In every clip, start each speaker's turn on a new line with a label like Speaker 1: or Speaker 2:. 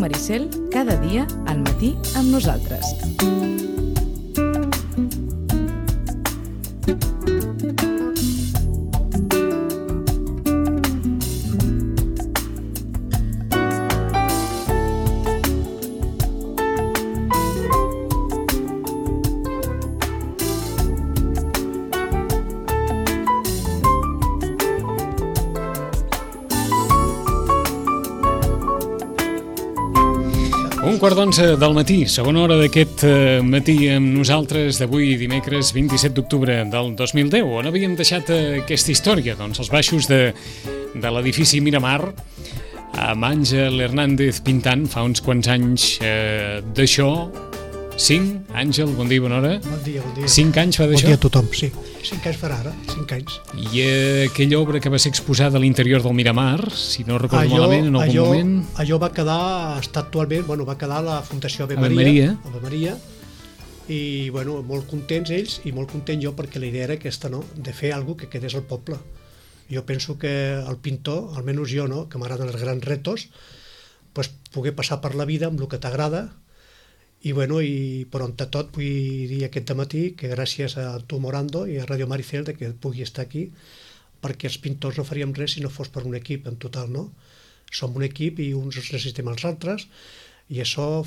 Speaker 1: Maricel, cada dia al matí amb nosaltres.
Speaker 2: Un quart d'11 del matí, segona hora d'aquest matí amb nosaltres d'avui dimecres 27 d'octubre del 2010. On havíem deixat aquesta història? Doncs als baixos de l'edifici Miramar, amb Àngel Hernández pintant fa uns quants anys d'això. 5, Àngel, bon dia, bona hora.
Speaker 3: Bon dia, bon dia.
Speaker 2: 5 anys fa d'això?
Speaker 3: Bon dia a tothom, sí. 5 anys farà ara, 5 anys.
Speaker 2: I aquella obra que va ser exposada a l'interior del Miramar, si no recordo malament, en algun moment...
Speaker 3: Allò va quedar, està actualment, va quedar a la Fundació Ave Maria. Ave Maria. I, molt contents ells i molt content jo perquè la idea era aquesta, no?, de fer alguna cosa que quedés al poble. Jo penso que el pintor, almenys jo, no?, que m'agraden els grans retos, poder passar per la vida amb el que t'agrada. I per on tot vull dir aquest matí que gràcies a tu, Morando, i a Radio Maricel que pugui estar aquí, perquè els pintors no faríem res si no fos per un equip en total, no? Som un equip i uns necessitem els altres, i això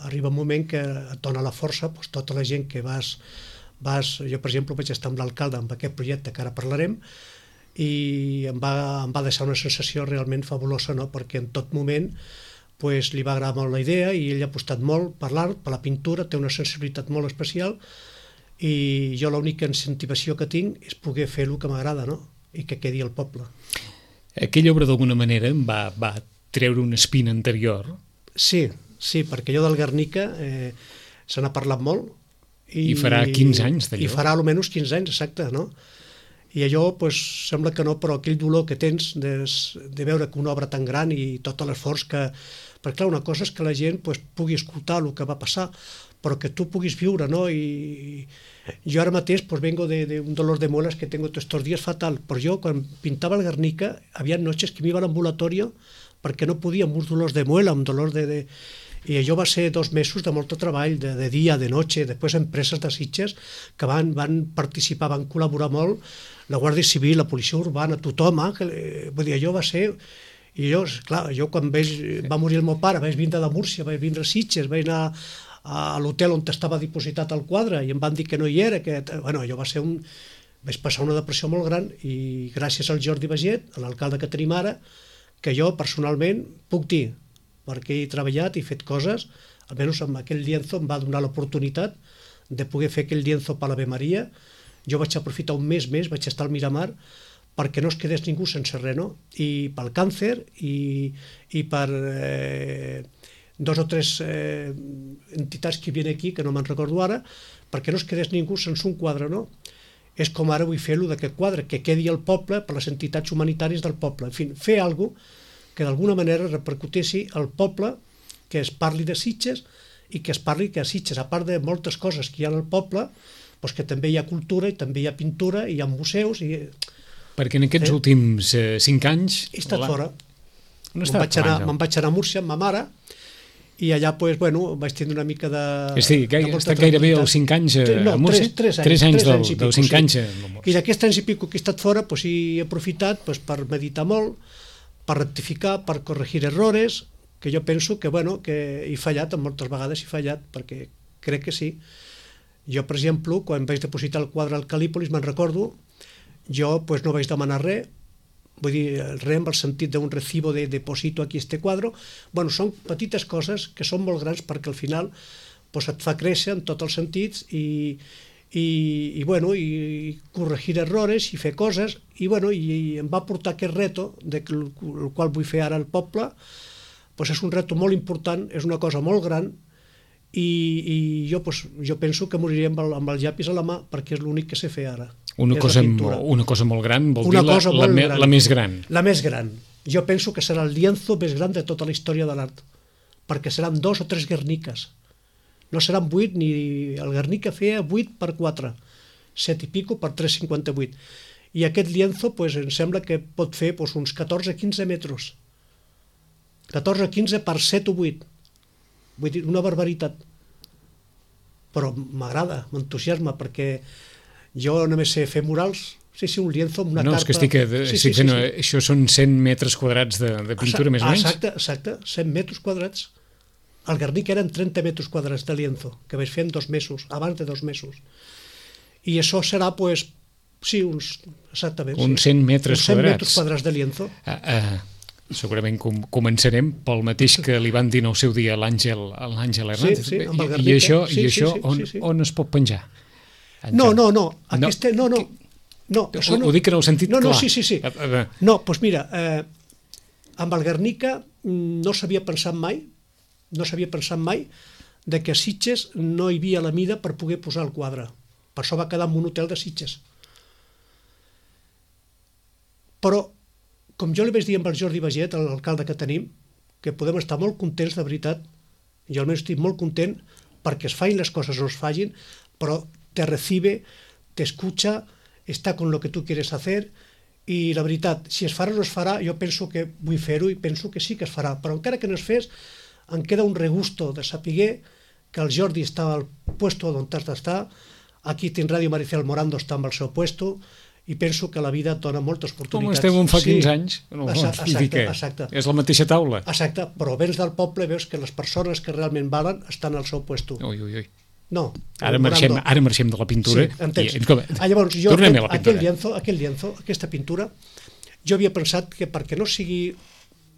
Speaker 3: arriba un moment que et dona la força, tota la gent que vas... Jo, per exemple, vaig estar amb l'alcalde amb aquest projecte que ara parlarem, i em va deixar una sensació realment fabulosa, no? Perquè en tot moment li va agradar molt la idea i ell ha apostat molt per l'art, per la pintura, té una sensibilitat molt especial i jo l'única incentivació que tinc és poder fer el que m'agrada, no?, i que quedi al poble.
Speaker 2: Aquella obra d'alguna manera va treure una espina anterior?
Speaker 3: Sí, perquè allò del Guernica se n'ha parlat molt.
Speaker 2: I farà 15 anys d'allò?
Speaker 3: I farà almenys 15 anys, exacte, no? I allò, sembla que no, però aquell dolor que tens de veure que una obra tan gran i tot l'esforç que... Perquè, clar, una cosa és que la gent pugui escoltar el que va passar, però que tu puguis viure, no? I jo ara mateix vengo d'un dolor de muelas que tengo estos días fatal, però jo, quan pintava el Guernica, havia noches que m'iba a l'ambulatori perquè no podia, amb uns dolors de muela, amb dolors de... I allò va ser 2 mesos de molt treball, de dia, de noche, després empreses de Sitges que van participar, van col·laborar molt, la Guàrdia Civil, la Policia Urbana, tothom, vull dir, allò va ser... I jo, clar, quan va morir el meu pare, vaig vindre de Múrcia, vaig vindre a Sitges, vaig anar a l'hotel on estava dipositat el quadre i em van dir que no hi era, allò va ser vaig passar una depressió molt gran i gràcies al Jordi Baget, a l'alcalde que tenim ara, que jo personalment puc dir, perquè he treballat i fet coses, almenys amb aquell lienzo em va donar l'oportunitat de poder fer aquell lienzo per l'Ave Maria. Jo vaig aprofitar un mes més, vaig estar al Miramar, perquè no es quedés ningú sense res, no? I pel càncer i per 2 o 3 entitats que hi havia aquí, que no me'n recordo ara, perquè no es quedés ningú sense un quadre, no? És com ara vull fer-lo d'aquest quadre, que quedi al poble per les entitats humanitàries del poble. En fi, fer alguna cosa que d'alguna manera repercuteixi al poble, que es parli de Sitges i que es parli que a Sitges, a part de moltes coses que hi ha al poble, que també hi ha cultura i també hi ha pintura i hi ha museus i...
Speaker 2: Perquè en aquests últims 5 anys...
Speaker 3: He estat fora. Me'n vaig anar a Múrcia amb ma mare i allà, vaig tindre una mica de...
Speaker 2: És a dir, he estat gairebé els 5 anys a Múrcia? 3 anys dels 5 anys a Múrcia.
Speaker 3: I d'aquests anys i pico que he estat fora, he aprofitat per meditar molt, per rectificar, per corregir errores, que jo penso que he fallat, moltes vegades he fallat, perquè crec que sí. Jo, per exemple, quan vaig depositar el quadre al Calípolis, me'n recordo, jo no vaig demanar res, vull dir, res en el sentit d'un recibo de deposito aquí este quadre. Són petites coses que són molt grans perquè al final et fa créixer en tots els sentits i corregir errores i fer coses i em va portar aquest reto el qual vull fer ara al poble. És un reto molt important, és una cosa molt gran i jo penso que moriré amb el llapis a la mà perquè és l'únic que sé fer ara.
Speaker 2: Una cosa molt gran vol dir la més gran.
Speaker 3: La més gran. Jo penso que serà el lienzo més gran de tota la història de l'art, perquè seran 2 o 3 Guerniques. No seran 8, ni el Guernica feia 8 per 4, 7 i pico per 3,58. I aquest lienzo em sembla que pot fer uns 14-15 metres. 14 o 15 per 7 o 8. Vull dir, una barbaritat. Però m'agrada, m'entusiasma, perquè jo només sé fer murals, sí, un lienzo amb una carpa...
Speaker 2: No, és que estic fent... Això són 100 metres quadrats de pintura, més o menys?
Speaker 3: Exacte, 100 metres quadrats. Al Guernica eren 30 metres quadrats de lienzo, que vaig fer en 2 mesos, abans de 2 mesos. I això serà, pues, sí, exactament.
Speaker 2: Uns 100 metres quadrats.
Speaker 3: 100 metres quadrats de lienzo.
Speaker 2: Segurament començarem pel mateix que li van dir en el seu dia l'Àngel Hernández.
Speaker 3: Sí, amb el Guernica.
Speaker 2: I això on es pot penjar?
Speaker 3: No.
Speaker 2: Ho dic en el sentit clar.
Speaker 3: Sí. No, doncs mira, amb el Guernica no s'havia pensat mai de que a Sitges no hi havia la mida per poder posar el quadre. Per això va quedar en un hotel de Sitges. Però, com jo li vaig dir amb el Jordi Baget, l'alcalde que tenim, que podem estar molt contents, de veritat, jo almenys estic molt content perquè es facin les coses o es facin, però te recibe, te escucha, està con lo que tu quieres hacer, i la veritat, si es farà o no es farà, jo penso que vull fer-ho i penso que sí que es farà, però encara que no es fes, em queda un regusto de saber que el Jordi està al puesto on has d'estar, aquí en Ràdio Maricel Morando està amb el seu puesto, i penso que la vida et dona moltes oportunitats.
Speaker 2: Com estem on fa 15 anys?
Speaker 3: Exacte.
Speaker 2: És la mateixa taula.
Speaker 3: Exacte, però vens del poble, veus que les persones que realment valen estan al seu puesto.
Speaker 2: Ui.
Speaker 3: No.
Speaker 2: Ara marxem de la pintura.
Speaker 3: Sí, entens. Llavors, jo,
Speaker 2: tornem a la pintura.
Speaker 3: Aquell lienzo, aquesta pintura, jo havia pensat que perquè no sigui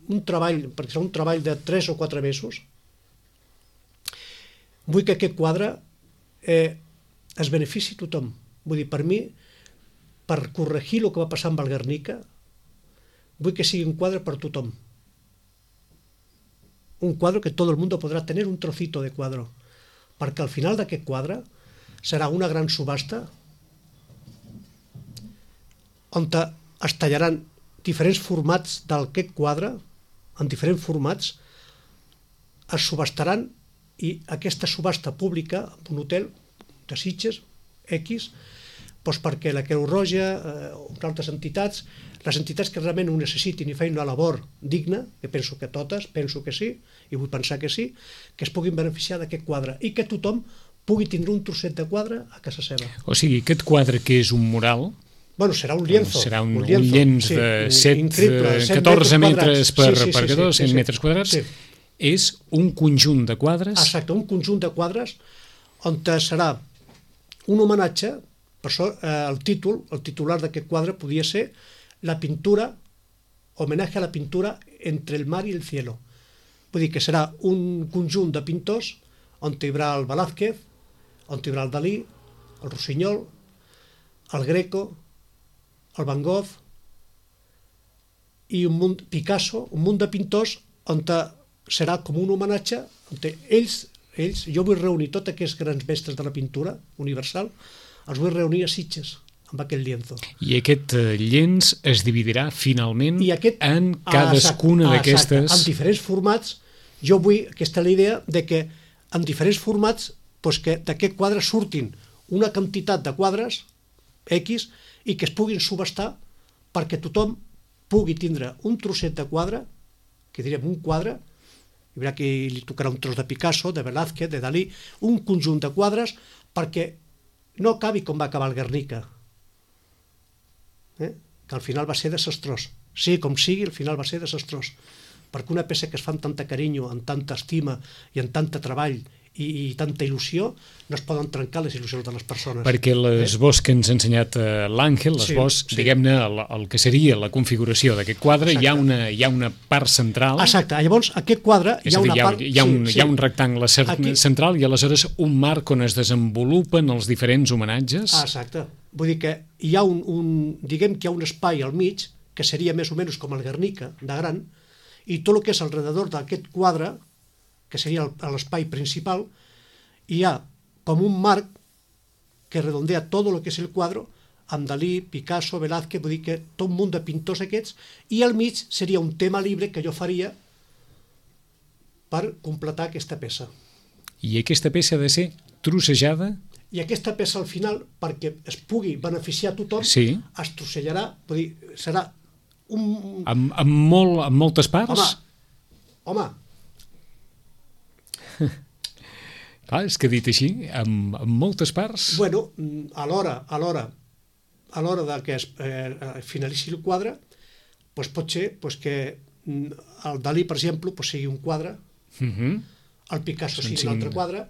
Speaker 3: un treball, perquè serà un treball de 3 o 4 mesos, vull que aquest quadre es benefici tothom. Vull dir, per mi, per corregir el que va passar amb el Guernica, vull que sigui un quadre per tothom. Un quadre que tot el món podrà tenir un trocito de quadre. Perquè al final d'aquest quadre serà una gran subhasta on es tallaran diferents formats d'aquest quadre, en diferents formats, es subhastaran, i aquesta subhasta pública en un hotel de Sitges, X, doncs perquè la Creu Roja o altres entitats, les entitats que realment ho necessitin i feien una labor digna, que penso que totes, penso que sí, i vull pensar que sí, que es puguin beneficiar d'aquest quadre i que tothom pugui tindre un trosset de quadre a casa seva.
Speaker 2: O sigui, aquest quadre que és un mural...
Speaker 3: Bueno, serà un lienzo.
Speaker 2: Serà un llenç de 14 metres per 100 metres quadrats. És un conjunt de quadres...
Speaker 3: Exacte, un conjunt de quadres on serà un homenatge, per això el titular d'aquest quadre podia ser la pintura, homenatge a la pintura entre el mar i el cielo. Vull dir que serà un conjunt de pintors on hi haurà el Velázquez, on hi haurà el Dalí, el Rossinyol, el Greco, el Van Gogh i Picasso, un munt de pintors on serà com un homenatge on ells, jo vull reunir tots aquests grans mestres de la pintura universal, els vull reunir a Sitges amb aquest lienzo.
Speaker 2: I aquest llenç es dividirà finalment en cadascuna d'aquestes...
Speaker 3: En diferents formats. Jo vull, aquesta és la idea, de que en diferents formats que d'aquest quadre surtin una quantitat de quadres X i que es puguin subhastar perquè tothom pugui tindre un trosset de quadre, que direm un quadre, hi haurà qui li tocarà un tros de Picasso, de Velázquez, de Dalí, un conjunt de quadres perquè no acabi com va acabar el Guernica, que al final va ser desastrós. Sí, com sigui, al final va ser desastrós. Perquè una peça que es fa amb tanta carinyo, amb tanta estima i amb tant treball i tanta il·lusió, no es poden trencar les il·lusions de les persones.
Speaker 2: Perquè l'esbós que ens ha ensenyat l'Àngel, l'esbós, diguem-ne, el que seria la configuració d'aquest quadre, hi ha una part central...
Speaker 3: Exacte, llavors aquest quadre hi ha una part...
Speaker 2: Hi ha un rectangle central i aleshores un marc on es desenvolupen els diferents homenatges.
Speaker 3: Exacte, vull dir que hi ha diguem que hi ha un espai al mig, que seria més o menys com el Guernica, de gran, i tot el que és alrededor d'aquest quadre, que seria l'espai principal, hi ha com un marc que redondea tot el que és el quadre, amb Dalí, Picasso, Velázquez, vull dir que tot un munt de pintors aquests, i al mig seria un tema libre que jo faria per completar aquesta peça.
Speaker 2: I aquesta peça ha de ser trossejada?
Speaker 3: I aquesta peça al final, perquè es pugui beneficiar a tothom, es trossellarà, vull dir, serà
Speaker 2: amb moltes parts?
Speaker 3: Home, Home,
Speaker 2: Clar, és que dit així, en moltes parts...
Speaker 3: bueno, a l'hora de que es finalitzi el quadre, doncs pot ser que el Dalí, per exemple, sigui un quadre, el Picasso sigui un altre quadre,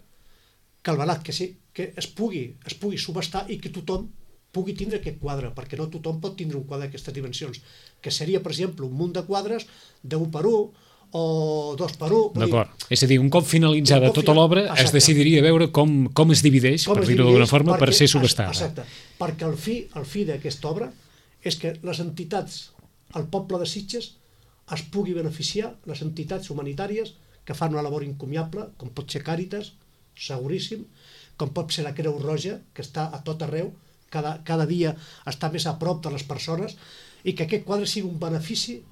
Speaker 3: que el Velázquez que es pugui subestar i que tothom pugui tindre aquest quadre, perquè no tothom pot tindre un quadre d'aquestes dimensions, que seria, per exemple, un munt de quadres de 1 per 1 o 2 per 1.
Speaker 2: D'acord. És a dir, un cop finalitzada tota l'obra es decidiria veure com es divideix, per dir-ho d'alguna forma, per ser subestada.
Speaker 3: Exacte, perquè el fi d'aquesta obra és que les entitats, el poble de Sitges, es pugui beneficiar, les entitats humanitàries que fan una labor encomiable, com pot ser Càritas, seguríssim, com pot ser la Creu Roja, que està a tot arreu, cada dia està més a prop de les persones, i que aquest quadre sigui un benefici,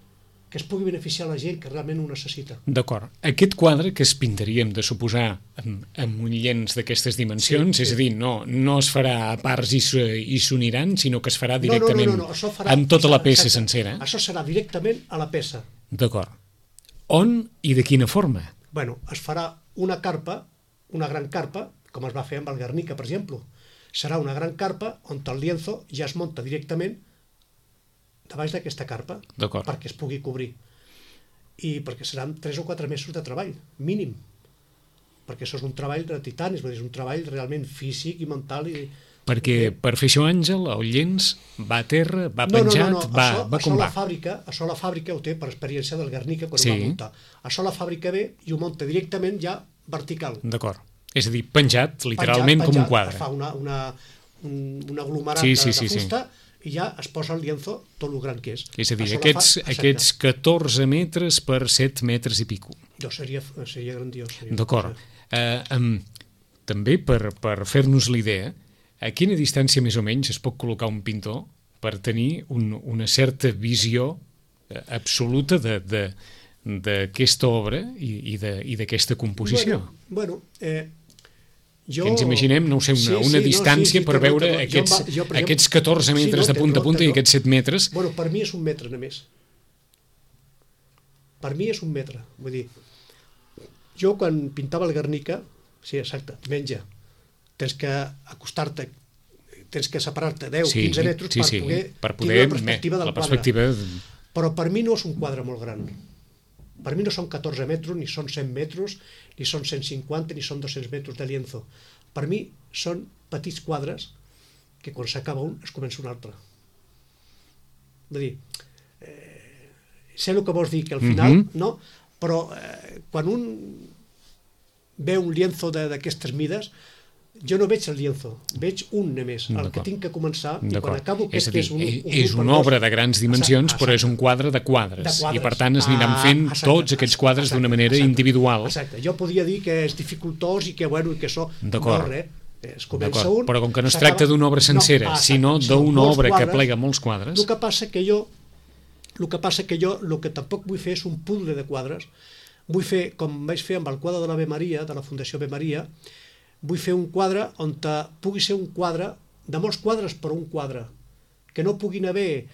Speaker 3: que es pugui beneficiar la gent que realment ho necessita.
Speaker 2: D'acord. Aquest quadre que es pintaríem de suposar amb un llenç d'aquestes dimensions, és a dir, no es farà a parts i s'uniran, sinó que es farà directament amb tota la peça sencera.
Speaker 3: Això serà directament a la peça.
Speaker 2: D'acord. On i de quina forma?
Speaker 3: Bueno, es farà una carpa, una gran carpa, com es va fer amb el Guernica, per exemple. Serà una gran carpa on el lienzo ja es munta directament de baix d'aquesta carpa, perquè es pugui cobrir. I perquè seran 3 o 4 mesos de treball, mínim. Perquè això és un treball de titanis, és un treball realment físic i mental.
Speaker 2: Perquè per fer això, Àngel, el llenç va a terra, va penjat, va com va.
Speaker 3: Això la fàbrica ho té per experiència del Guernica quan ho va muntar. Això la fàbrica ve i ho munta directament ja vertical.
Speaker 2: D'acord. És a dir, penjat, literalment com un quadre.
Speaker 3: Fa un aglomerat de fusta i ja es posa el lienzo tot el gran que és.
Speaker 2: És a dir, aquests 14 metres per 7 metres i pico.
Speaker 3: Seria grandiós.
Speaker 2: D'acord. També per fer-nos l'idea, a quina distància més o menys es pot col·locar un pintor per tenir una certa visió absoluta d'aquesta obra i d'aquesta composició?
Speaker 3: Bueno,
Speaker 2: que ens imaginem, no ho sé, una distància per veure aquests 14 metres de punta a punta i aquests 7 metres.
Speaker 3: Bueno, per mi és un metre només. Per mi és un metre. Vull dir, jo quan pintava el Guernica, sí, exacte, menja, tens que acostar-te, tens que separar-te 10-15 metres per poder tindre la perspectiva del quadre. Però per mi no és un quadre molt gran. Per mi no són 14 metres, ni són 100 metres, ni són 150, ni són 200 metres de lienzo. Per mi són petits quadres que quan s'acaba un es comença un altre. Vull dir, sé el que vols dir, que al final, no? Però quan un ve un lienzo d'aquestes mides, jo no veig el lienzo, veig un només, el que tinc que començar, i quan acabo aquest és un
Speaker 2: és una obra de grans dimensions, però és un quadre de quadres, i per tant es aniran fent tots aquests quadres d'una manera individual.
Speaker 3: Exacte, jo podria dir que és dificultós i que això no res, es comença un...
Speaker 2: Però com que no es tracta d'una obra sencera, sinó d'una obra que plega molts quadres...
Speaker 3: El que passa que jo el que tampoc vull fer és un puzzle de quadres, vull fer, com vaig fer amb el quadre de l'Ave Maria, de la Fundació Ave Maria, vull fer un quadre on pugui ser un quadre, de molts quadres, però un quadre, que no puguin haver,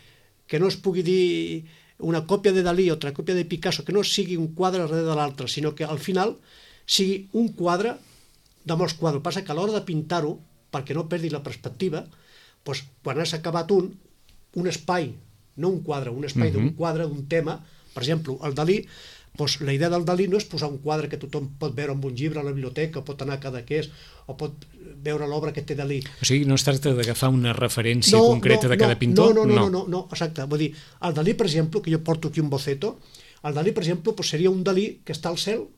Speaker 3: que no es pugui dir una còpia de Dalí, otra còpia de Picasso, que no sigui un quadre darrere de l'altre, sinó que al final sigui un quadre de molts quadres. El que passa que a l'hora de pintar-ho, perquè no perdi la perspectiva, doncs, quan has acabat un espai, no un quadre, un espai d'un quadre, d'un tema, per exemple, el Dalí, doncs la idea del Dalí no és posar un quadre que tothom pot veure en un llibre a la biblioteca, o pot anar a cada que és, o pot veure l'obra que té Dalí.
Speaker 2: O sigui, no es tracta d'agafar una referència concreta de cada pintor?
Speaker 3: No, exacte. Vull dir, el Dalí, per exemple, que jo porto aquí un boceto, el Dalí, per exemple, seria un Dalí que està al cel,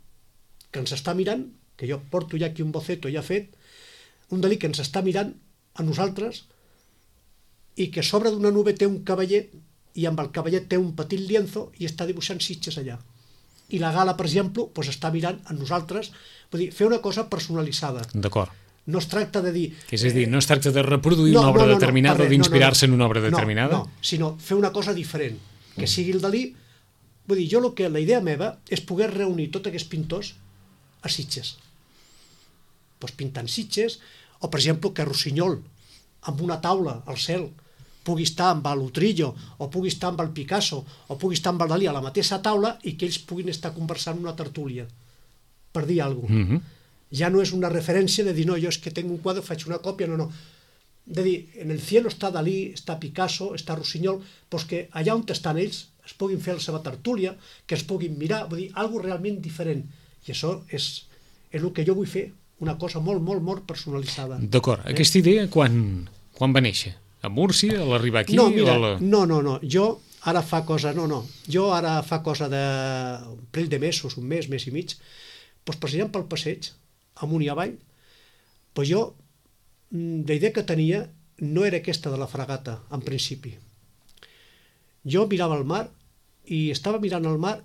Speaker 3: que ens està mirant, que jo porto ja aquí un boceto ja fet, un Dalí que ens està mirant a nosaltres i que sobre d'una nube té un cavallet i amb el cavallet té un petit lienzo i està dibuixant Sitges allà. I la gala, per exemple, està mirant a nosaltres, vull dir, fer una cosa personalitzada.
Speaker 2: D'acord.
Speaker 3: No es tracta de dir...
Speaker 2: És a dir, no es tracta de reproduir una obra determinada o d'inspirar-se en una obra determinada?
Speaker 3: No, sinó fer una cosa diferent, que sigui el Dalí. Vull dir, la idea meva és poder reunir tots aquests pintors a Sitges. Doncs pintant Sitges, o per exemple que Rossinyol, amb una taula al cel, pugui estar amb l'Utrillo, o pugui estar amb el Picasso, o pugui estar amb el Dalí a la mateixa taula i que ells puguin estar conversant en una tertúlia, per dir alguna cosa. Ja no és una referència de dir, no, jo és que tinc un quadre, faig una còpia, no. De dir, en el cielo està Dalí, està Picasso, està Rossinyol, doncs que allà on estan ells es puguin fer la seva tertúlia, que es puguin mirar, vull dir, alguna realment diferent. I això és el que jo vull fer, una cosa molt, molt, molt personalitzada.
Speaker 2: D'acord. Aquesta idea quan va néixer? A Múrcia, a l'arribar aquí?
Speaker 3: No, mira, no. Jo ara fa cosa d'un parell de mesos, un mes i mig, doncs passejant pel passeig, amunt i avall, doncs jo, la idea que tenia no era aquesta de la fragata, en principi. Jo mirava el mar i estava mirant el mar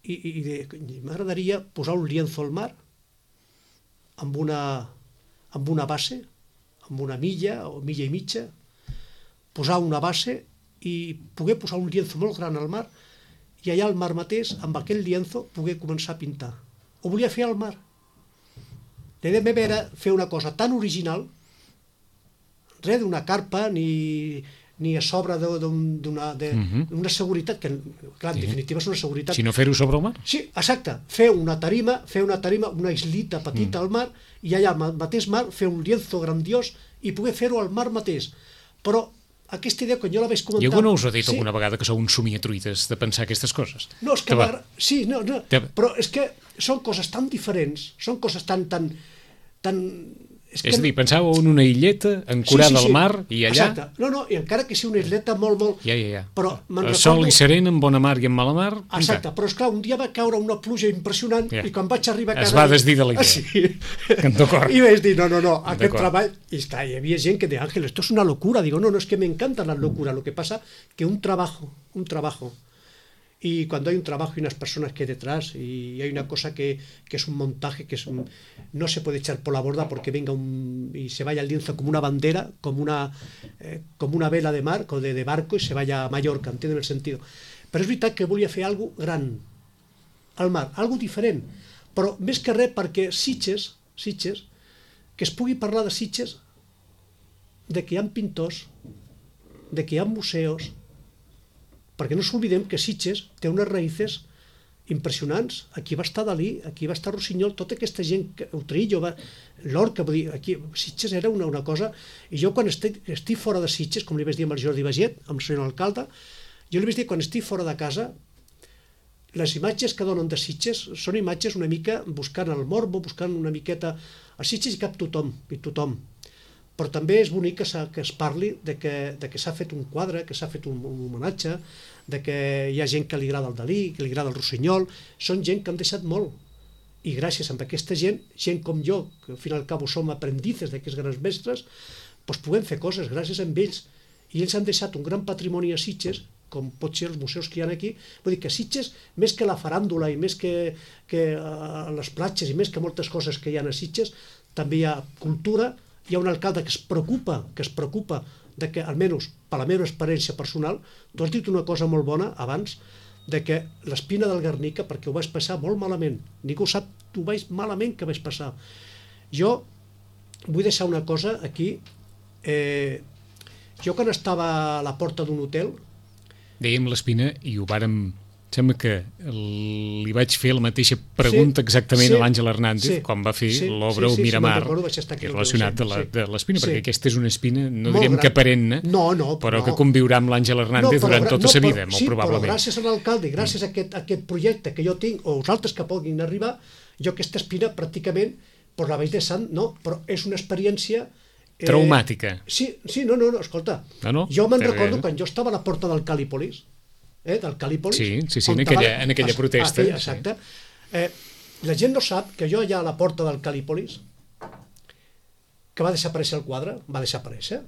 Speaker 3: i m'agradaria posar un lienzo al mar amb una base, amb una milla o milla i mitja, posar una base i poder posar un lienzo molt gran al mar i allà al mar mateix, amb aquell lienzo, poder començar a pintar. Ho volia fer al mar. La idea meva era fer una cosa tan original, res d'una carpa ni a sobre d'una seguretat, que clar, en definitiva és una seguretat.
Speaker 2: Si no fer-ho sobre el mar?
Speaker 3: Sí, exacte. Fer una tarima, una islita petita al mar, i allà al mateix mar fer un lienzo grandiós i poder fer-ho al mar mateix. Però aquesta idea, quan jo la vaig comentar...
Speaker 2: I algú no us ha dit alguna vegada que sou uns somiatruites de pensar aquestes coses?
Speaker 3: No, és que... Sí, no, però és que són coses tan diferents, són coses tan...
Speaker 2: És a dir, pensàveu en una illeta ancorada al mar i allà...
Speaker 3: Exacte. No, i encara que sigui una isleta molt...
Speaker 2: Ja.
Speaker 3: Però
Speaker 2: sol i serent, en bona mar i en mala mar...
Speaker 3: Exacte, però esclar, un dia va caure una pluja impressionant i quan vaig arribar a casa...
Speaker 2: Es va desdir de la idea.
Speaker 3: Sí.
Speaker 2: D'acord.
Speaker 3: I vaig dir, no, aquest treball... I hi havia gent que deia, Ángel, esto es una locura. Digo, no, es que me encantan las locuras. Lo que pasa que un trabajo... Y cuando hay un trabajo y unas personas que hay detrás y hay una cosa que es un montaje no se puede echar por la borda porque venga y se vaya el lienzo como una bandera, como una vela de mar, de barco, y se vaya a Mallorca, ¿entienden el sentido? Però és veritat que volia fer alguna cosa gran al mar, alguna cosa diferent, però més que res perquè Sitges, que es pugui parlar de Sitges, de que hi ha pintors, de que hi ha museus, perquè no s'oblidem que Sitges té unes raïces impressionants. Aquí va estar Dalí, aquí va estar Rossinyol, tota aquesta gent, Utrillo, Lorca, vull dir, aquí Sitges era una cosa, i jo quan estic fora de Sitges, com li vaig dir amb el Jordi Baget, amb el senyor alcalde, jo li vaig dir quan estic fora de casa, les imatges que donen de Sitges són imatges una mica buscant el morbo, buscant una miqueta... A Sitges hi cap tothom, però també és bonic que es parli de que s'ha fet un quadre, que s'ha fet un homenatge, de que hi ha gent que li agrada el Dalí, que li agrada el Rossinyol, són gent que han deixat molt. I gràcies a aquesta gent com jo, que al fin i al cabo som aprendices d'aquests grans mestres, doncs podem fer coses gràcies a ells. I ells han deixat un gran patrimoni a Sitges, com pot ser els museus que hi ha aquí. Vull dir que Sitges, més que la faràndula i més que les platges i més que moltes coses que hi ha a Sitges, també hi ha cultura. Hi ha un alcalde que es preocupa de que, almenys per la meva experiència personal, tu has dit una cosa molt bona abans, de que l'espina del Guernica, perquè ho vaig passar molt malament, ningú sap, ho vaig malament que vaig passar. Jo vull deixar una cosa aquí, jo quan estava a la porta d'un hotel...
Speaker 2: Dèiem l'espina i ho vàrem... Sembla que li vaig fer la mateixa pregunta exactament a l'Àngel Hernández quan va fer l'obra El Miramar, relacionat de l'espina, perquè aquesta és una espina, no diríem que perenne, però que conviurà amb l'Àngel Hernández durant tota sa vida, molt probablement.
Speaker 3: Sí, però gràcies a l'alcalde i gràcies a aquest projecte que jo tinc, o els altres que puguin arribar, jo aquesta espina pràcticament la vaig deixant, però és una experiència...
Speaker 2: Traumàtica.
Speaker 3: Sí, no, escolta, jo me'n recordo quan jo estava a la porta del Calípolis, del Calípolis.
Speaker 2: Sí, en aquella protesta.
Speaker 3: Exacte. La gent no sap que jo allà a la porta del Calípolis, que va desaparèixer el quadre, va desaparèixer,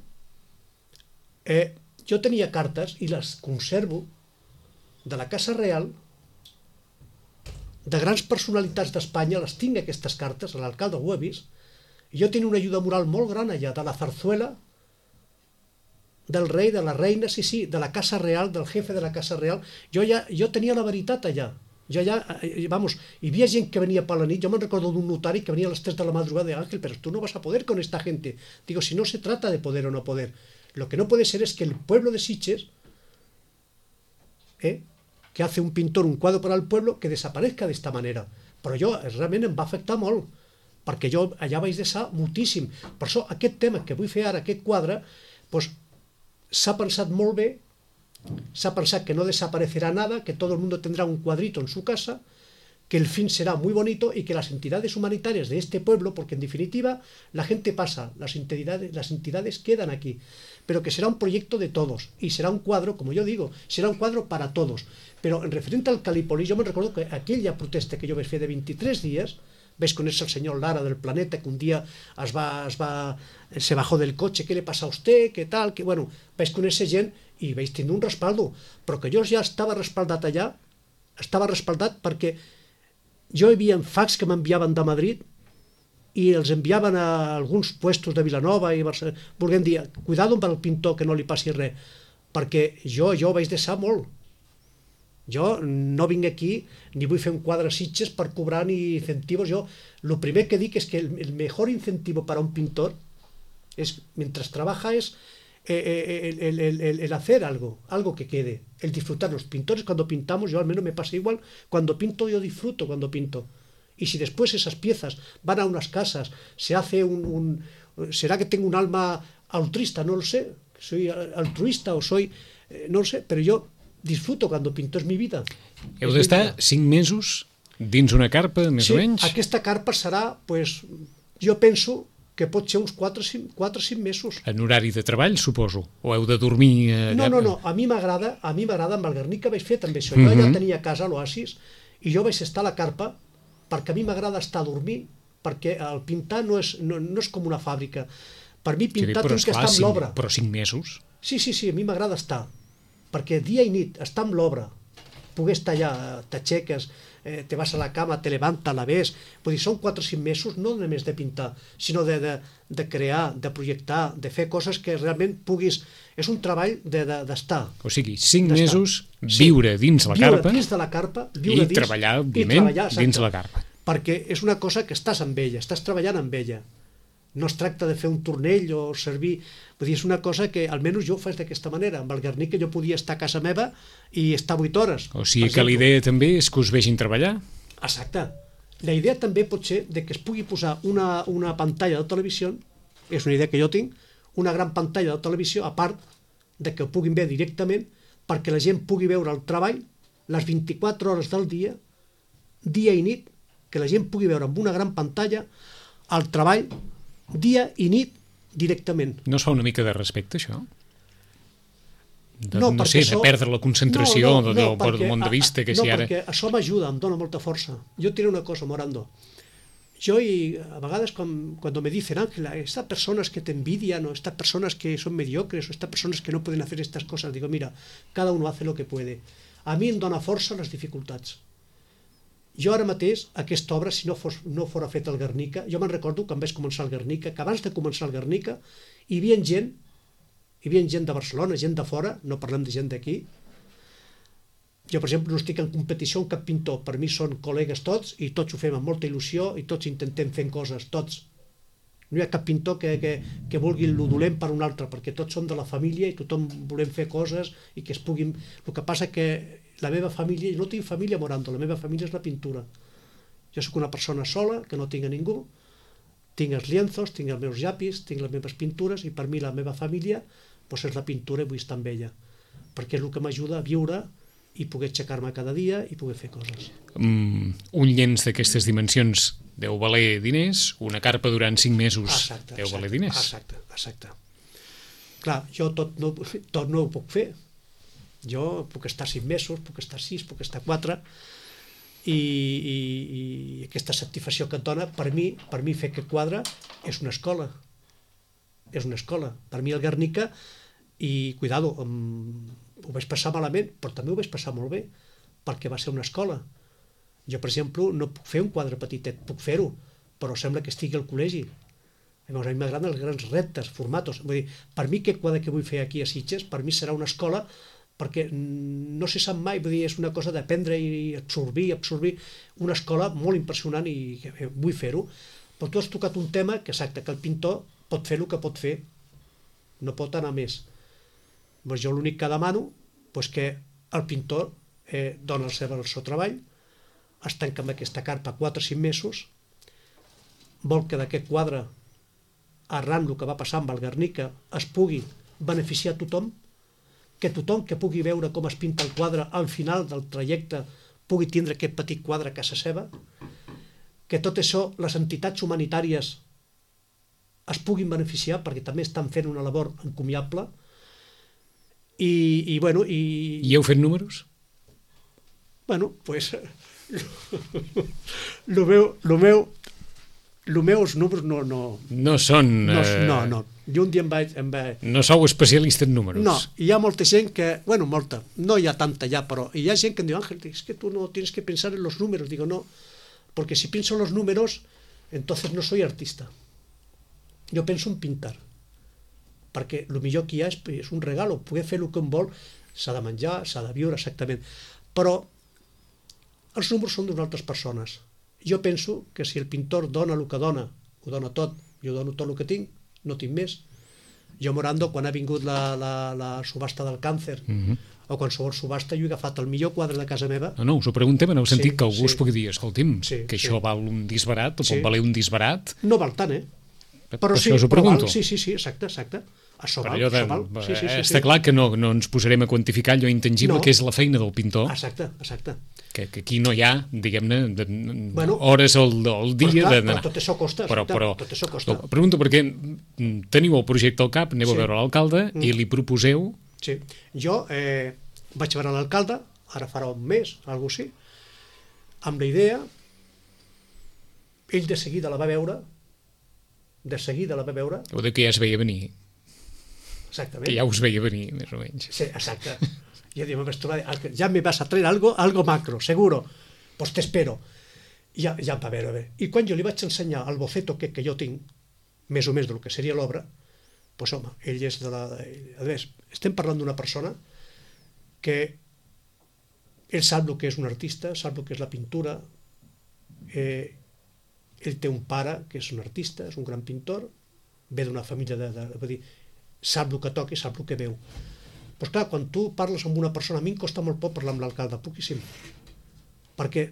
Speaker 3: jo tenia cartes i les conservo de la Casa Real, de grans personalitats d'Espanya, les tinc aquestes cartes, l'alcalde ho ha vist, i jo tenia una ajuda moral molt gran allà, de la Zarzuela, del rei, de la reina, sí, de la Casa Real, del jefe de la Casa Real. Jo tenia la veritat allà. Jo allà, hi havia gent que venia per la nit, jo me'n recordo d'un notari que venia a les 3 de la madrugada de Ángel, pero tú no vas a poder con esta gente. Digo, si no se trata de poder o no poder. Lo que no puede ser es que el pueblo de Sitges, que hace un pintor un quadre per al pueblo, que desaparezca d'esta manera. Però jo realment em va afectar molt, perquè jo allà vaig deixar moltíssim. Per això aquest tema que vull fer ara, aquest quadre, doncs, s'ha pensat molt bé, s'ha pensat que no desaparecerá nada, que todo el mundo tendrá un cuadrito en su casa, que el fin será muy bonito y que las entidades humanitarias de este pueblo, porque en definitiva la gente pasa, las entidades quedan aquí, pero que será un proyecto de todos y será un cuadro, como yo digo, será un cuadro para todos. Pero en referente al Calípolis, yo me recuerdo que aquella protesta que yo vaig fer de 23 días, ves conèixer el senyor Lara del Planeta, que un dia se bajó del cotxe, què le passa a usted, què tal, que bueno, vaig conèixer gent i vaig tenir un respaldo, però que jo ja estava respaldat allà, estava respaldat perquè jo hi havia fax que m'enviaven de Madrid i els enviaven a alguns puestos de Vilanova i Barcelona, volguem dir, cuidado amb el pintor que no li passi res, perquè jo vaig deixar molt. Jo no vinc aquí ni vull fer un quadre a Sitges per cobrar ni incentivos. Jo lo primer que dic és que el mejor incentivo para un pintor es, mientras trabaja, es el hacer algo que quede, el disfrutar. Los pintores cuando pintamos, yo al menos me pasa igual, cuando pinto yo disfruto cuando pinto. Y si después esas piezas van a unas casas, se hace ¿será que tengo un alma altruista? No lo sé, soy altruista o soy, no lo sé, pero yo disfruto cuando pinto, és mi vida.
Speaker 2: Heu d'estar 5 mesos dins una carpa, més o menys?
Speaker 3: Sí, aquesta carpa serà, pues, jo penso que pot ser uns 4 o 5 mesos.
Speaker 2: En horari de treball, suposo? O heu de dormir allà?
Speaker 3: No, a mi m'agrada, amb el Guernica vaig fer també això. Jo ja tenia casa a l'Oasis i jo vaig estar a la carpa perquè a mi m'agrada estar a dormir, perquè el pintar no és com una fàbrica. Per mi pintar tinc que estar amb l'obra.
Speaker 2: Però 5 mesos?
Speaker 3: Sí, a mi m'agrada estar, perquè dia i nit, estar amb l'obra, poder estar allà, t'aixeques, te vas a la cama, te levantes, la ves, vull dir, són 4 o 5 mesos no només de pintar, sinó de crear, de projectar, de fer coses que realment puguis... És un treball d'estar.
Speaker 2: O sigui, 5 mesos, viure dins la carpa,
Speaker 3: viure dins de la carpa,
Speaker 2: i treballar, òbviament, dins la carpa.
Speaker 3: Perquè és una cosa que estàs amb ella, estàs treballant amb ella. No es tracta de fer un tornell o servir... Vull dir, és una cosa que almenys jo ho faig d'aquesta manera. Amb el Guernica jo podia estar a casa meva i estar 8 hores.
Speaker 2: O sigui que l'idea també és que us vegin treballar?
Speaker 3: Exacte. La idea també pot ser de que es pugui posar una pantalla de televisió, és una idea que jo tinc, una gran pantalla de televisió, a part de que ho puguin veure directament, perquè la gent pugui veure el treball les 24 hores del dia i nit, que la gent pugui veure amb una gran pantalla el treball dia i nit directament.
Speaker 2: No es fa una mica de respecte, això?
Speaker 3: No sé,
Speaker 2: de perdre la concentració del món de vista, que si ara...
Speaker 3: No, perquè això m'ajuda, em dona molta força. Jo diré una cosa, Morando. Yo, y a vegades cuando me dicen, Ángela, estas personas que te envidian, o estas personas que son mediocres, o estas personas que no pueden hacer estas cosas, digo, mira, cada uno hace lo que puede. A mi em dona força les dificultats. Jo ara mateix, aquesta obra, si no fora feta al Guernica, jo me'n recordo quan vaig començar el Guernica, que abans de començar el Guernica hi havia gent de Barcelona, gent de fora, no parlem de gent d'aquí. Jo, per exemple, no estic en competició amb cap pintor, per mi són col·legues tots i tots ho fem amb molta il·lusió i tots intentem fer coses, tots. No hi ha cap pintor que vulgui el dolent per un altre, perquè tots som de la família i tothom volem fer coses i que es puguin... El que passa que la meva família, jo no tinc família, Morando, la meva família és la pintura. Jo sóc una persona sola, que no tinc a ningú, tinc els lienzos, tinc els meus llapis, tinc les meves pintures i per mi la meva família és la pintura i vull estar amb ella, perquè és el que m'ajuda a viure i poder aixecar-me cada dia i poder fer coses.
Speaker 2: Un llenç d'aquestes dimensions deu valer diners, una carpa durant 5 mesos deu valer diners.
Speaker 3: Exacte. Clar, jo tot no ho puc fer. Jo puc estar 5 mesos, puc estar 6, puc estar 4, i aquesta satisfacció que et dona, per mi fer aquest quadre és una escola. És una escola. Per mi el Guernica, i cuidado, ho vaig passar malament, però també ho vaig passar molt bé, perquè va ser una escola. Jo, per exemple, no puc fer un quadre petitet, puc fer-ho, però sembla que estigui al col·legi. A mi m'agraden els grans reptes, formatos. Vull dir, per mi aquest quadre que vull fer aquí a Sitges, per mi serà una escola, perquè no se sap mai, vull dir, és una cosa d'aprendre i absorbir, una escola molt impressionant i vull fer-ho. Però tu has tocat un tema que, exacte, que el pintor pot fer el que pot fer. no pot anar més. Doncs jo l'únic que demano és que el pintor dona el seu treball, es tanca amb aquesta carpa 4 o 5 mesos, vol que d'aquest quadre, arran el que va passar amb el Guernica, es pugui beneficiar tothom, que tothom que pugui veure com es pinta el quadre al final del trajecte pugui tindre aquest petit quadre a casa seva, que tot això les entitats humanitàries es puguin beneficiar perquè també estan fent una labor encomiable i bueno...
Speaker 2: I heu fet números?
Speaker 3: Bueno, pues el meu els números
Speaker 2: no són...
Speaker 3: No. Jo un dia em vaig...
Speaker 2: No sou especialista en números.
Speaker 3: No, hi ha molta gent que... Bueno, molta. No hi ha tanta ya, però hi ha gent que em diu, Ángel, es que tú no tienes que pensar en los números. Digo, no, porque si pienso en los números, entonces no soy artista. Jo penso en pintar. Perquè el millor que hi ha és un regalo. Poder fer el que un vol, s'ha de menjar, s'ha de viure, exactament. Però els números són d'unes altres persones. Jo penso que si el pintor dona el que dona, ho dona tot, jo dono tot el que tinc, no tinc més. Jo, Morando, quan ha vingut la subhasta del càncer, o qualsevol subhasta, jo he agafat el millor quadre de casa meva.
Speaker 2: No, us ho preguntem en el sentit que algú us pugui dir, escolti'm, que això val un disbarat, o pot valer un disbarat.
Speaker 3: No val tant,
Speaker 2: Però sí, us ho pregunto.
Speaker 3: Sí, exacte. Això val,
Speaker 2: Està clar que no ens posarem a quantificar allò intangible que és la feina del pintor.
Speaker 3: Exacte.
Speaker 2: Que aquí no hi ha, diguem-ne, hores al dia...
Speaker 3: Però tot això costa.
Speaker 2: Pregunto perquè teniu el projecte al cap, aneu a veure l'alcalde i li proposeu...
Speaker 3: Sí, jo vaig veure l'alcalde, ara farà un mes, alguna cosa així, amb la idea, ell de seguida la va veure,
Speaker 2: o de que ja es veia venir.
Speaker 3: Exactament.
Speaker 2: Que ja us veia venir, més o menys.
Speaker 3: Sí, exacte. Jo dic, ja me vas a traer algo macro, seguro. Pues te espero. Ja em va veure bé. I quan jo li vaig ensenyar el boceto que jo tinc, més o més del que seria l'obra, pues home, ell és de la... A més, estem parlant d'una persona que ell sap el que és un artista, sap el que és la pintura, ell té un pare que és un artista, és un gran pintor, ve d'una família vull dir, sap el que toca i sap el que veu. Doncs clar, quan tu parles amb una persona, a mi em costa molt poc parlar amb l'alcalde, poquíssim, perquè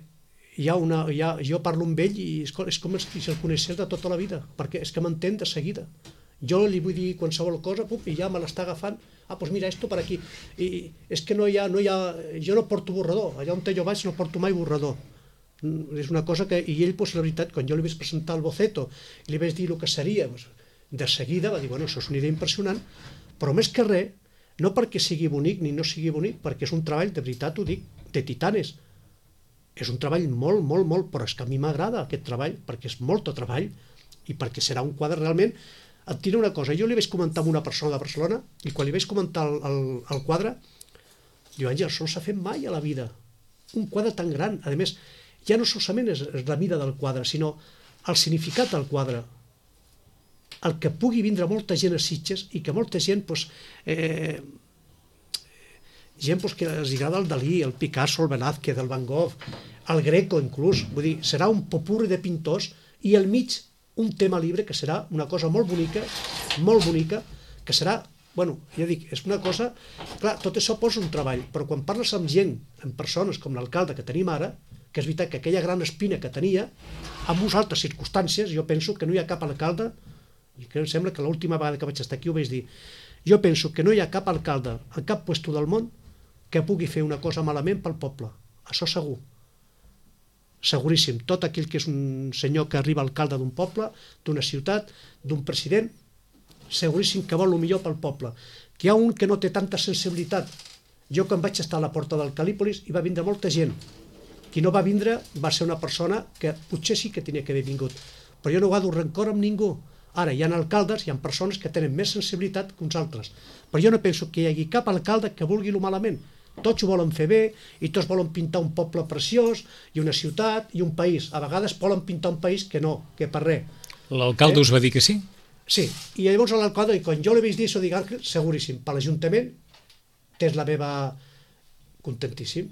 Speaker 3: jo parlo amb ell i és com si el coneixés de tota la vida, perquè és que m'entén de seguida. Jo li vull dir qualsevol cosa i ja me l'està agafant, doncs mira, esto per aquí. I és que no hi ha... Jo no porto borrador, allà on jo vaig no porto mai borrador. És una cosa que... I ell, la veritat, quan jo li vaig presentar el boceto i li vaig dir el que seria, de seguida va dir, bueno, això és una idea impressionant, però més que res, no perquè sigui bonic ni no sigui bonic, perquè és un treball, de veritat ho dic, de titanes. És un treball molt, però és que a mi m'agrada aquest treball, perquè és molt de treball i perquè serà un quadre realment... Et diré una cosa, jo li vaig comentar amb una persona de Barcelona i quan li vaig comentar el quadre, diu, Àngel, això no s'ha fet mai a la vida. Un quadre tan gran, a més, ja no solament és la mida del quadre, sinó el significat del quadre. El que pugui vindre molta gent a Sitges i que molta gent, gent que els agrada el Dalí, el Picasso, el Velázquez, el Van Gogh, el Greco inclús, vull dir, serà un popurri de pintors i al mig un tema libre que serà una cosa molt bonica, que serà, bueno, ja dic, és una cosa, clar, tot això posa un treball, però quan parles amb gent, amb persones com l'alcalde que tenim ara, que és veritat que aquella gran espina que tenia, amb unes altres circumstàncies, jo penso que no hi ha cap alcalde, i que em sembla que l'última vegada que vaig estar aquí ho vaig dir, jo penso que no hi ha cap alcalde en cap puesto del món que pugui fer una cosa malament pel poble, això segur. Seguríssim, tot aquell que és un senyor que arriba alcalde d'un poble, d'una ciutat, d'un president, seguríssim que vol el millor pel poble. Que hi ha un que no té tanta sensibilitat. Jo quan vaig estar a la porta del Calípolis hi va vindre molta gent. Qui no va vindre va ser una persona que potser sí que tenia que haver vingut, però jo no guardo rancor amb ningú. Ara, hi ha alcaldes, hi ha persones que tenen més sensibilitat que uns altres, però jo no penso que hi hagi cap alcalde que vulgui lo malament. Tots ho volen fer bé i tots volen pintar un poble preciós i una ciutat i un país. A vegades volen pintar un país que no, que per res.
Speaker 2: L'alcalde us va dir que sí?
Speaker 3: Sí, i llavors l'alcalde, quan jo li vaig dir això, dic, Àngel, seguríssim, per l'Ajuntament tens la meva... contentíssim.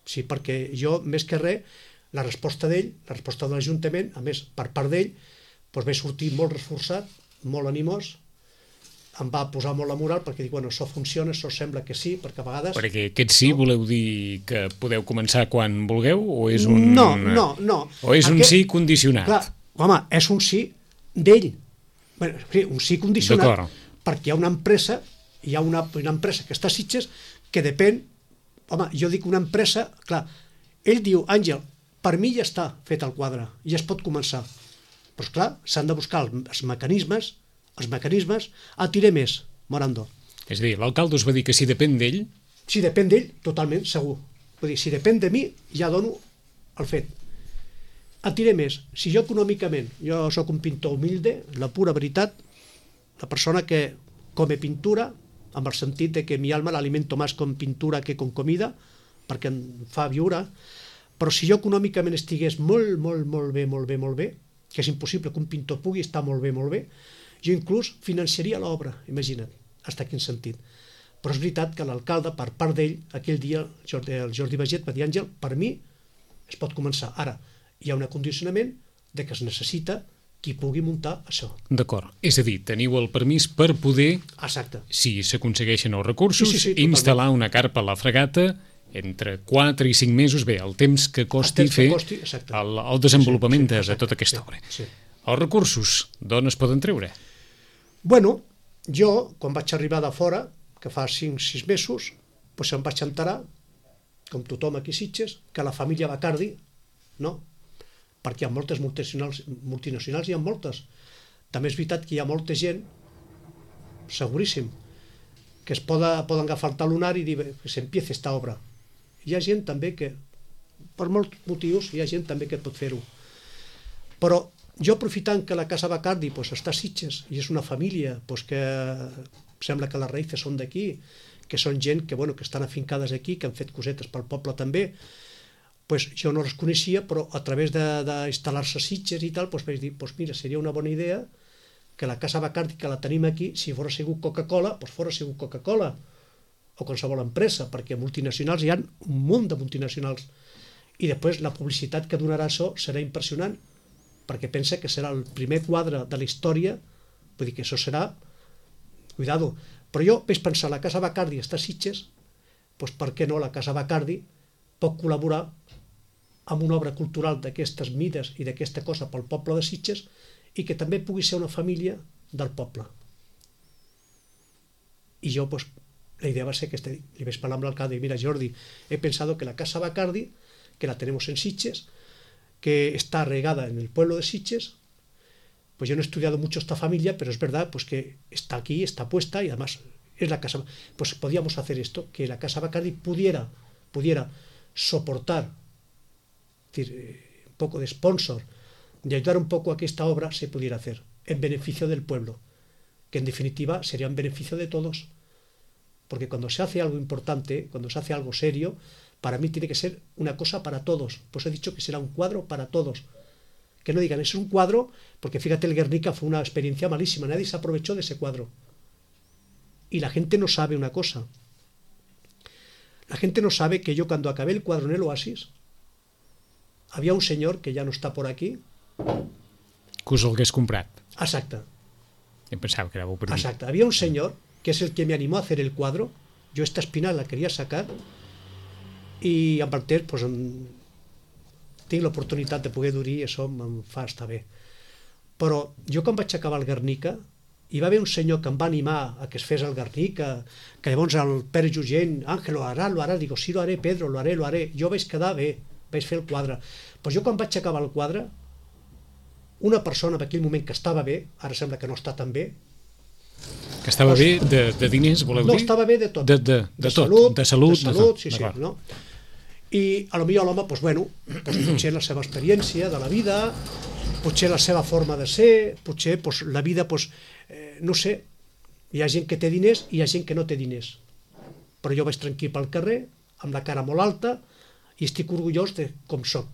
Speaker 3: Sí, perquè jo, més que res, la resposta d'ell, la resposta de l'Ajuntament, a més, per part d'ell, doncs vaig sortir molt reforçat, molt animós, em va posar molt la moral perquè dic, bueno, això funciona, això sembla que sí, perquè a vegades...
Speaker 2: Perquè aquest sí voleu dir que podeu començar quan vulgueu o és un...
Speaker 3: No.
Speaker 2: O és un sí condicionat?
Speaker 3: Clar, home, és un sí d'ell. Bueno, sí, un sí condicionat perquè hi ha una empresa, una empresa que està a Sitges que depèn... Home, jo dic una empresa... Clar, ell diu, Àngel, per mi ja està fet el quadre, ja es pot començar. Però, esclar, s'han de buscar els mecanismes, tiré més, Morando.
Speaker 2: És a dir, l'alcalde us va dir que si depèn d'ell...
Speaker 3: Si depèn d'ell, totalment, segur. Vull dir, si depèn de mi, ja dono el fet. Tiré més. Si jo econòmicament, jo sóc un pintor humilde, la pura veritat, la persona que come pintura, amb el sentit de que mi alma l'alimento més com pintura que com comida, perquè em fa viure, però si jo econòmicament estigués molt bé, que és impossible que un pintor pugui estar molt bé, jo inclús financiaria l'obra, imagina't, fins a quin sentit. Però és veritat que l'alcalde, per part d'ell, aquell dia, el Jordi Baget va dir, Àngel, per mi es pot començar. Ara, hi ha un acondicionament de que es necessita qui pugui muntar això.
Speaker 2: D'acord. És a dir, teniu el permís per poder,
Speaker 3: exacte,
Speaker 2: si s'aconsegueixen els recursos,
Speaker 3: sí,
Speaker 2: instal·lar una carpa a la fregata entre 4 i 5 mesos, bé, el temps que costi fer el desenvolupament de tota aquesta obra. Els recursos, d'on es poden treure?
Speaker 3: Bueno, jo, quan vaig arribar de fora, que fa 5-6 mesos, doncs em vaig enterar, com tothom aquí a Sitges, que la família Bacardi, no? Perquè hi ha moltes multinacionals, hi ha moltes. També és veritat que hi ha molta gent, seguríssim, que es poden agafar el talonari i dir que s'empiece esta obra. Hi ha gent també que, per molts motius, hi ha gent també que pot fer-ho. Però jo, aprofitant que la Casa Bacardi està a Sitges i és una família que sembla que les raïces són d'aquí, que són gent que estan afincades aquí, que han fet cosetes pel poble també, jo no les coneixia, però a través d'instal·lar-se a Sitges i tal, vaig dir, mira, seria una bona idea que la Casa Bacardi, que la tenim aquí, si fos sigut Coca-Cola, fos sigut Coca-Cola, o qualsevol empresa, perquè multinacionals hi ha un munt de multinacionals. I després la publicitat que donarà això serà impressionant, perquè pensa que serà el primer quadre de la història, vull dir que això serà... Cuidado. Però jo vaig pensar, la Casa Bacardi està a Sitges, doncs per què no la Casa Bacardi pot col·laborar amb una obra cultural d'aquestes mides i d'aquesta cosa pel poble de Sitges i que també pugui ser una família del poble. I jo, la idea va ser aquesta. Li vaig parlar amb l'alcalde i mira, Jordi, he pensado que la Casa Bacardi, que la tenemos en Sitges, que está regada en el pueblo de Sitges, pues yo no he estudiado mucho esta familia, pero es verdad que está aquí, está puesta y además es la casa. Pues podíamos hacer esto, que la Casa Bacardi pudiera soportar, es decir, un poco de sponsor, de ayudar un poco a que esta obra se pudiera hacer en beneficio del pueblo, que en definitiva sería en beneficio de todos. Porque cuando se hace algo importante, cuando se hace algo serio, para mí tiene que ser una cosa para todos. Pues he dicho que será un cuadro para todos. Que no digan, es un cuadro, porque fíjate, el Guernica fue una experiencia malísima, nadie se aprovechó de ese cuadro. Y la gente no sabe una cosa. La gente no sabe que yo cuando acabé el cuadro en el Oasis, había un señor que ya no está por aquí.
Speaker 2: Que us l'hagués comprat.
Speaker 3: Exacte.
Speaker 2: Em pensava que éreu per dir.
Speaker 3: Exacte. Había un señor que es el que me animó a hacer el cuadro. Yo esta espina la quería sacar i amb el temps tinc l'oportunitat de poder dur-hi i això em fa estar bé. Però jo quan vaig acabar el Guernica hi va haver un senyor que em va animar a que es fes el Guernica, que llavors el Pere Jugent, Ángel, lo hará, digo, sí, lo haré, Pedro, lo haré. Jo vaig quedar bé, vaig fer el quadre. Però jo quan vaig acabar el quadre, una persona en aquell moment que estava bé, ara sembla que no està tan bé.
Speaker 2: Que estava bé de diners, voleu dir?
Speaker 3: No, estava bé de tot.
Speaker 2: De tot, de salut.
Speaker 3: Sí, no? I a lo millor l'home, potser la seva experiència de la vida, potser la seva forma de ser, potser la vida, no sé, hi ha gent que té diners i hi ha gent que no té diners. Però jo vaig tranquil pel carrer, amb la cara molt alta, i estic orgullós de com soc.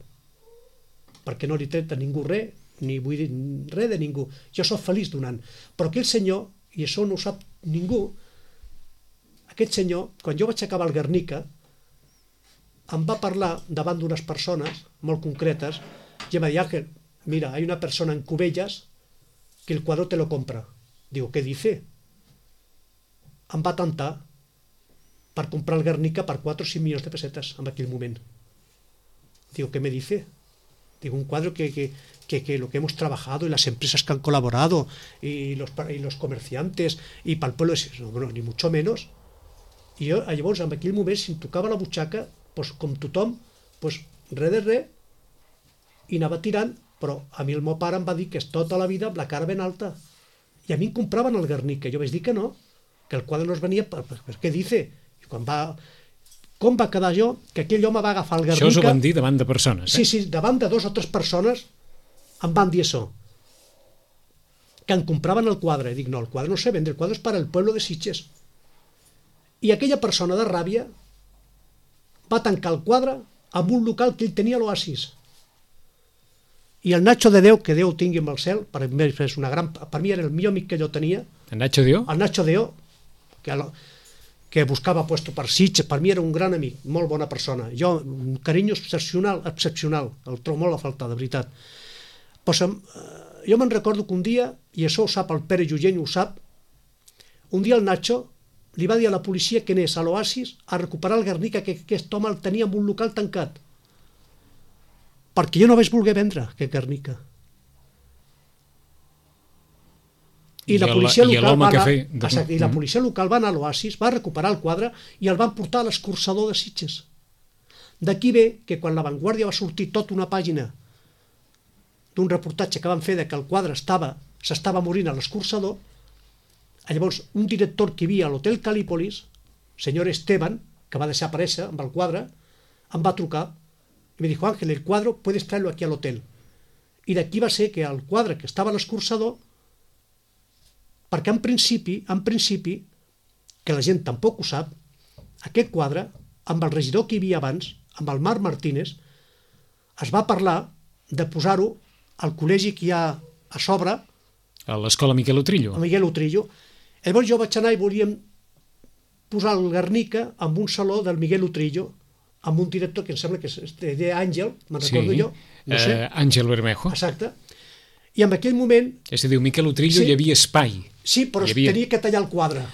Speaker 3: Perquè no li tret a ningú res, ni vull dir res de ningú. Jo soc feliç donant. Però aquell senyor, i això no ho sap ningú, aquest senyor, quan jo vaig acabar el Guernica, em va parlar davant d'unes persones molt concretes i em va dir, Ángel, mira, hay una persona en Cubellas que el cuadro te lo compra. Digo, ¿qué dice? em va tentar per comprar el Guernica per 4 o 5 milions de pessetes en aquell moment. Digo, ¿qué me dice? Digo, un cuadro que lo que hemos trabajado y las empresas que han colaborado y los comerciantes y para el pueblo, no, bueno, ni mucho menos. I jo, llavors, en aquell moment, si em tocava la butxaca, doncs, com tothom, doncs, res de res, i anava tirant, però a mi el meu pare em va dir que és tota la vida amb la cara ben alta. I a mi em compraven el Guernica. Jo vaig dir que no, que el quadre no es venia per què dice? I quan va... Com va quedar jo? Que aquell home va agafar el Guernica...
Speaker 2: Això us ho van dir davant de persones,
Speaker 3: Sí, sí, davant de 2 o 3 persones em van dir això. Que em compraven el quadre. I dic, no, el quadre no sé vendre, el quadre és per al pueblo de Sitges. I aquella persona de ràbia va tancar el quadre amb un local que ell tenia a l'Oasis. I el Nacho de Déu, que Déu tingui amb el cel, per mi era el millor amic que jo tenia.
Speaker 2: En Nacho Dio?
Speaker 3: El Nacho de Déu, que buscava puesto per Sitges, per mi era un gran amic, molt bona persona. Jo, un carinyo excepcional, el trobo molt a faltar, de veritat. Pues, jo me'n recordo que un dia, i això ho sap el Pere Llugent, ho sap, un dia el Nacho li va dir a la policia que anés a l'Oasis a recuperar el Guernica, que aquest home el tenia en un local tancat. Perquè jo no vaig voler vendre aquest Guernica. I la policia local va anar a l'Oasis, va recuperar el quadre i el van portar a l'escorçador de Sitges. D'aquí ve que quan La Vanguardia va sortir tota una pàgina d'un reportatge que van fer de que el quadre s'estava morint a l'escorçador, llavors un director que hi havia a l'hotel Calípolis, senyor Esteban, que va desaparèixer amb el quadre, em va trucar i me dijo, Ángel, el cuadro puedes traerlo aquí al hotel. I d'aquí va ser que el quadre que estava a l'escorçador, perquè en principi, que la gent tampoc ho sap, aquest quadre, amb el regidor que hi havia abans, amb el Marc Martínez, es va parlar de posar-ho al col·legi que hi ha a sobre,
Speaker 2: a l'escola Miquel Utrillo.
Speaker 3: A Miquel Utrillo. Llavors jo vaig anar i volíem posar el Guernica en un saló del Miguel Utrillo, amb un director que em sembla que és d'Àngel, me'n recordo jo. No sé.
Speaker 2: Àngel Bermejo.
Speaker 3: Exacte. I en aquell moment...
Speaker 2: És a dir, Miquel Utrillo hi havia espai.
Speaker 3: Sí, però es tenia que tallar el quadre.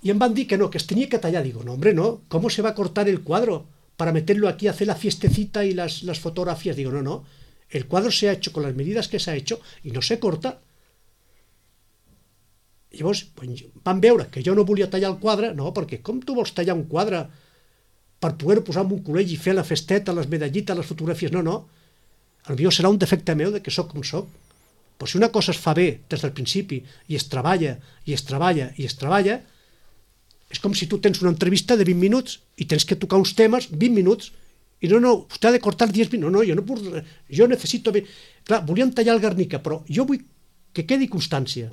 Speaker 3: Y em van dir que no, que es tenía que tallar. Digo, no, hombre, no. ¿Cómo se va a cortar el cuadro para meterlo aquí, hacer la fiestecita y las fotografías? Digo, no, no. El cuadro se ha hecho con las medidas que se ha hecho y no se corta. I llavors van veure que jo no volia tallar el quadre, no, perquè com tu vols tallar un quadre per poder-ho posar en un col·legi i fer la festeta, les medallites, les fotografies? No, no. Potser serà un defecte meu de que sóc com sóc. Però si una cosa es fa bé des del principi i es treballa, i es treballa, i es treballa, és com si tu tens una entrevista de 20 minuts i tens que tocar uns temes 20 minuts i no, vostè ha de cortar 10 minuts. No, jo no puc, jo necessito... Clar, volien tallar el Guernica, però jo vull que quedi constància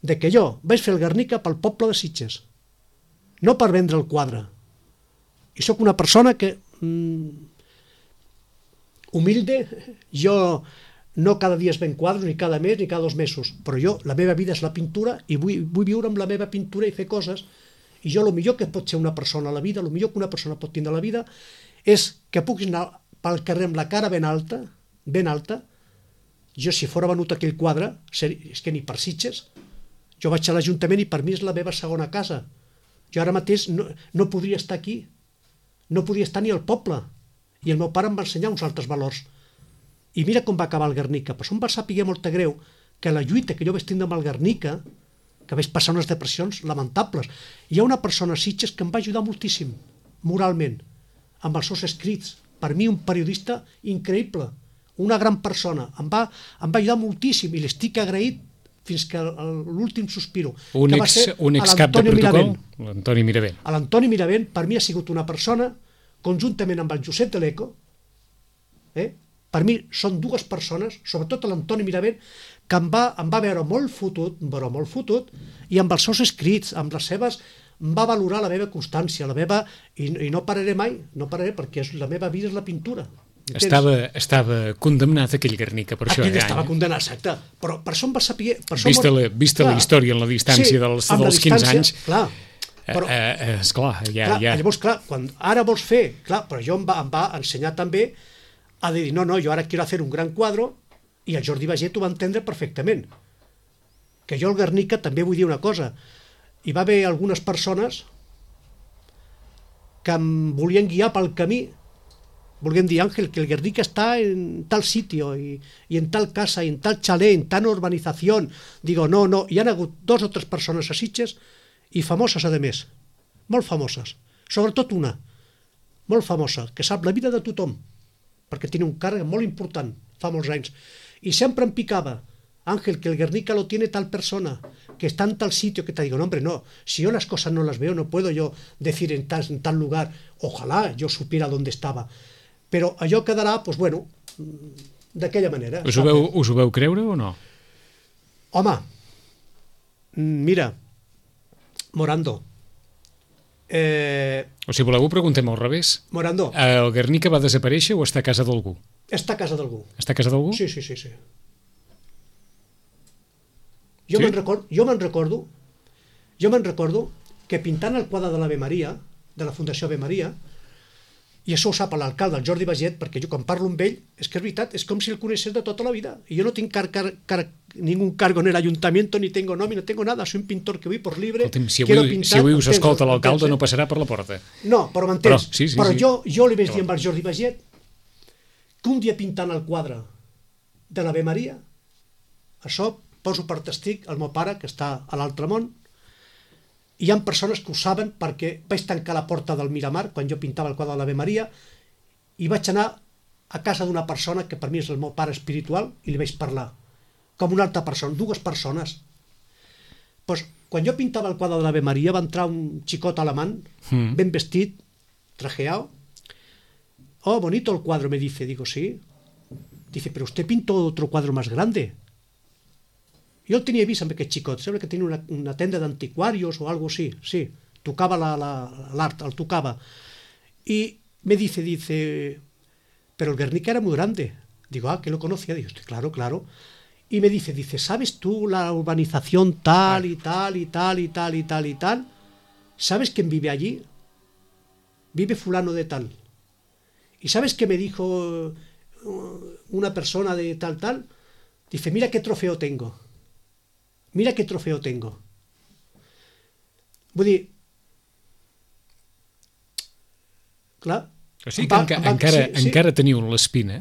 Speaker 3: de que jo vaig fer el Guernica pel poble de Sitges, no per vendre el quadre. I sóc una persona que... humilde, jo no cada dia es ven quadres, ni cada mes, ni cada 2 mesos, però jo, la meva vida és la pintura i vull viure amb la meva pintura i fer coses, i jo el millor que pot ser una persona a la vida, el millor que una persona pot tindre a la vida és que puguis anar pel carrer amb la cara ben alta, jo si fora venut aquell quadre, és que ni per Sitges, jo vaig a l'Ajuntament i per mi és la meva segona casa, jo ara mateix no podria estar aquí, no podria estar ni al poble, i el meu pare em va ensenyar uns altres valors, i mira com va acabar el Guernica. Però em va saber molt greu que la lluita que jo vaig tindre amb el Guernica, que vaig passar unes depressions lamentables, hi ha una persona a Sitges que em va ajudar moltíssim, moralment, amb els seus escrits, per mi un periodista increïble, una gran persona, em va ajudar moltíssim i l'estic agraït fins que l'últim sospiro.
Speaker 2: Un excap de protocol, l'Antoni Miravent.
Speaker 3: L'Antoni Miravent per mi ha sigut una persona, conjuntament amb el Josep de l'Eco, per mi són 2 persones, sobretot l'Antoni Miravent, que em va veure molt fotut, i amb els seus escrits, amb les seves, em va valorar la meva constància, i no pararé mai, perquè la meva vida és la pintura.
Speaker 2: Estava condemnat aquell Guernica per això.
Speaker 3: Aquell estava condemnat, exacte. Però per això em va saber...
Speaker 2: Vista la història en la distància dels 15 anys...
Speaker 3: Clar.
Speaker 2: Esclar, ja...
Speaker 3: Llavors, clar, quan ara vols fer... Clar, però jo em va ensenyar també a dir, no, jo ara quiero hacer un gran quadro, i el Jordi Baget ho va entendre perfectament. Que jo el Guernica també vull dir una cosa. hi va haver algunes persones que em volien guiar pel camí, volien dir, Ángel, que el Guernica está en tal sitio y en tal casa, y en tal chalet, en tal urbanización. Digo, no, hi han hagut 2 o 3 persones a Sitges, i famoses a més, molt famoses, sobretot una, molt famosa, que sap la vida de tothom, perquè tiene un càrrec molt important, fa molts anys, i sempre em picava, Ángel, que el Guernica lo tiene tal persona, que está en tal sitio, que te digo, no, hombre, no, si yo las cosas no las veo, no puedo yo decir en tal lugar, ojalá yo supiera dónde estaba, però allò quedarà, doncs bueno, d'aquella manera.
Speaker 2: Us ho veu creure o no?
Speaker 3: Home, mira, Morando,
Speaker 2: o si voleu ho preguntem al revés.
Speaker 3: Morando,
Speaker 2: El Guernica va desaparèixer o està a casa d'algú?
Speaker 3: està a casa d'algú.
Speaker 2: Està a casa d'algú?
Speaker 3: Sí. Jo me'n recordo que pintant el quadre de l'Ave Maria, de la Fundació Ave Maria, i això ho sap l'alcalde, el Jordi Baget, perquè jo quan parlo amb ell, és que és veritat, és com si el coneixés de tota la vida, i jo no tinc ningún cargo en el ayuntamiento, ni tengo nómina, no tengo nada, soy un pintor que voy por libre.
Speaker 2: Escolta'm, si avui us escolta l'alcalde no passarà per la porta.
Speaker 3: No, però m'entens. Però
Speaker 2: sí.
Speaker 3: Jo li vaig dir amb el Jordi Baget que un dia pintant el quadre de l'Ave Maria, això poso per testig el meu pare, que està a l'altre món, hi ha persones que ho saben perquè vaig tancar la porta del Miramar quan jo pintava el quadre de l'Ave Maria i vaig anar a casa d'una persona que per mi és el meu pare espiritual i li vaig parlar, com una altra persona, 2 persones. Pues, quan jo pintava el quadre de l'Ave Maria va entrar un xicot alemán, ben vestit, trajeado. Oh, bonito el cuadro, me dice. Digo, sí. Dice, pero usted pintó otro cuadro más grande. Jo el tenia vist amb aquest xicot, sembla que tenia una tenda d'antiquarios o algo así, sí, tocava l'art, el tocava. Y me dice, pero el Guernica era muy grande. Digo, que lo conocía. Digo, claro. Y me dice, ¿sabes tú la urbanización tal y tal y tal y tal y tal y tal? ¿Sabes quién vive allí? Vive fulano de tal. ¿Y sabes qué me dijo una persona de tal? Dice, mira qué trofeo tengo. Vull dir, clar...
Speaker 2: O sigui que encara teniu l'espina,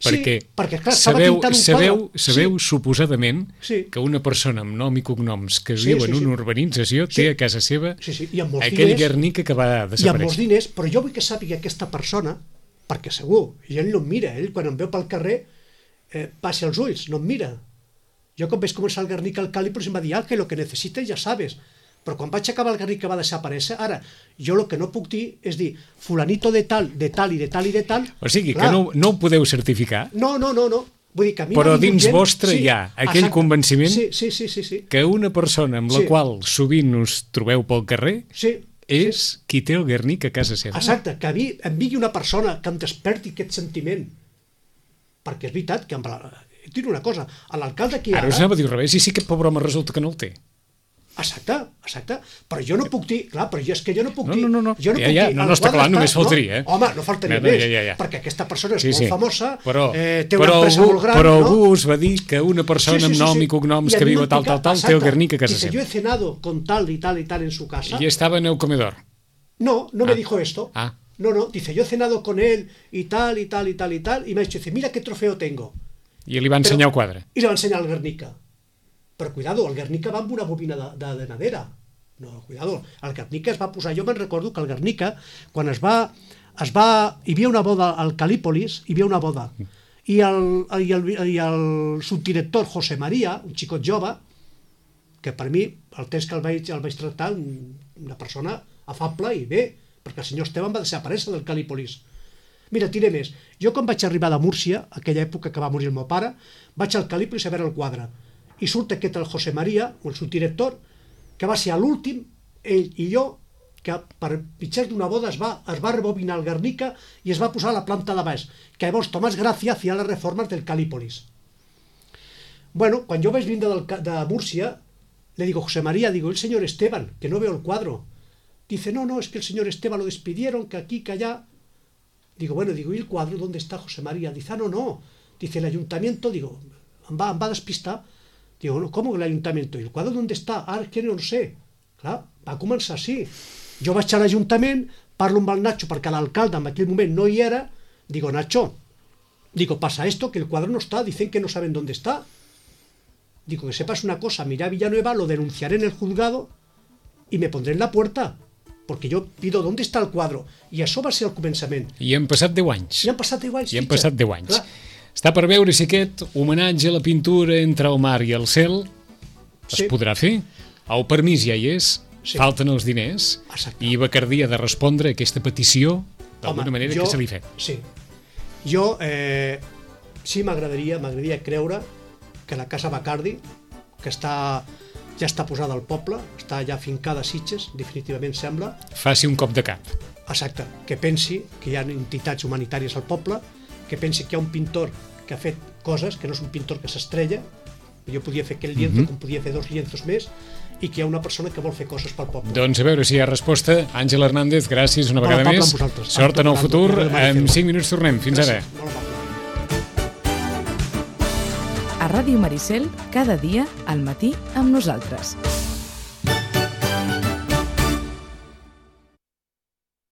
Speaker 2: perquè sabeu suposadament que una persona amb nom i cognoms que viu en una urbanització té a casa seva aquell Guernica que va desaparèixer.
Speaker 3: I amb molts diners, però jo vull que sàpiga aquesta persona, perquè segur, i ell no em mira, ell quan em veu pel carrer passa els ulls, no em mira. Jo quan vaig començar el Guernica al Càlipos em va dir, que lo que necessites ja sabes, però quan vaig acabar el Guernica va desaparèixer. Ara, jo el que no puc dir és dir fulanito de tal i de tal i de tal.
Speaker 2: O sigui que no ho podeu certificar.
Speaker 3: No. Vull dir que a mi
Speaker 2: però dins vostre hi ha aquell convenciment que una persona amb la qual sovint us trobeu pel carrer és qui té el Guernica a casa seva.
Speaker 3: Exacte, que a mi em vingui una persona que em desperti aquest sentiment, perquè és veritat que tinc una cosa, l'alcalde aquí
Speaker 2: ara us anava a dir al revés, i sí que pobre home resulta que no el té.
Speaker 3: Exacte, però jo no puc dir, clar, però és que jo no puc dir...
Speaker 2: No, està clar, només faltaria.
Speaker 3: Home, no faltaria més, perquè aquesta persona és molt famosa, té una empresa molt gran,
Speaker 2: però algú us va dir que una persona amb nom i cognoms que viu a tal, té el Guernica a casa seva.
Speaker 3: Dice, yo he cenado con tal y tal y tal en su casa.
Speaker 2: Y estaba en el comedor.
Speaker 3: No me dijo esto. No, dice, yo he cenado con él y tal y tal y tal y tal, y me ha dicho, dice, mira qué trofeo tengo.
Speaker 2: I li va ensenyar el quadre.
Speaker 3: I li va ensenyar el Guernica. Però, cuidado, el Guernica va amb una bobina de madera. No, cuidado, el Guernica es va posar... Jo me'n recordo que el Guernica, quan hi havia una boda al Calípolis, hi havia una boda. I el subdirector José María, un xicot jove, que per mi, el temps que el vaig tractar, una persona afable i bé, perquè el senyor Esteban va desaparèixer del Calípolis. Mira, diré més. Jo quan vaig arribar de Múrcia, aquella època que va morir el meu pare, vaig al Calípolis a veure el quadre. I surt aquest el José María, el subdirector, que va ser l'últim, ell i jo, que per mitjà d'una boda es va rebobinar el Guernica i es va posar a la planta de baix, que llavors Tomás Gracia hacía las reformas del Calípolis. Bueno, quan jo vaig vindre de Múrcia, le digo, José María, digo, el señor Esteban, que no veo el cuadro. Dice, no, es que el señor Esteban lo despidieron, que aquí, que allá. Digo, bueno, ¿y el cuadro dónde está José María? Dice, no. Dice, el ayuntamiento, digo, em va despistar. Digo, no, ¿cómo el ayuntamiento? ¿Y el cuadro dónde está? Es que no lo sé. Clar, va començar així. Jo vaig a l'Ajuntament, parlo amb el Nacho perquè l'alcalde en aquell moment no hi era, digo, Nacho, pasa esto, que el cuadro no está, dicen que no saben dónde está. Digo, que sepas una cosa, miré a Villanueva, lo denunciaré en el juzgado y me pondré en la puerta, porque yo pido dónde está el quadro. I això va ser el començament.
Speaker 2: I han passat 10 anys.
Speaker 3: I han passat 10 anys.
Speaker 2: I han passat 10 anys. Està per veure si aquest homenatge a la pintura entre el mar i el cel es podrà fer. El permís ja hi és, falten els diners, i Bacardí ha de respondre a aquesta petició d'alguna manera que se li fet.
Speaker 3: Sí. Jo sí m'agradaria creure que la Casa Bacardi, que ja està posada al poble, està ja fincada a Sitges, definitivament sembla.
Speaker 2: Faci un cop de cap.
Speaker 3: Exacte, que pensi que hi ha entitats humanitàries al poble, que pensi que hi ha un pintor que ha fet coses, que no és un pintor que s'estrella, jo podia fer aquell lienzo com podia fer 2 lienzos més, i que hi ha una persona que vol fer coses pel poble.
Speaker 2: Doncs a veure si hi ha resposta. Àngel Hernández, gràcies una vegada més. Sort en el futur. En 5 minuts tornem. Fins ara.
Speaker 1: A Ràdio Maricel, cada dia al matí amb nosaltres.